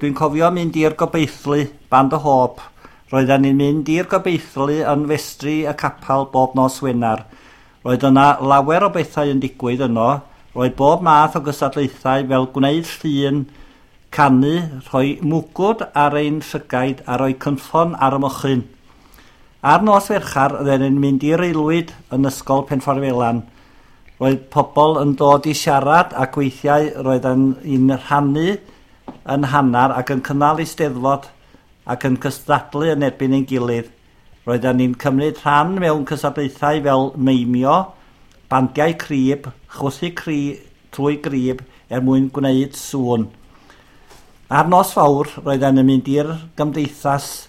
Dwi'n cofio mynd i'r Gobeithlu, Band o Hope. Roedden ni'n mynd i'r Gobeithlu yn festri y capel bob nos Wener. Roedd yna lawer o bethau yn digwydd yno. Roedd bob math o gystadlaethau fel gwneud llun, canu, rhoi mwgwd ar ein llygaid a rhoi cynffon ar y mochyn. Ar nos Fercher, roedden ni'n mynd i'r aelwyd yn Ysgol Penffordd. Roedd pobl yn dod i siarad ac weithiau roedden ni'n rhannu yn hannar ac yn cynnal eisteddfod ac yn cystadlu yn erbyn ein gilydd. Roedden ni'n cymryd rhan mewn cystadlaethau fel meimio, bandiau crib, chwythu cri trwy grib er mwyn gwneud sŵn. Ar nos Fawrth, roedden ni'n mynd i'r gymdeithas.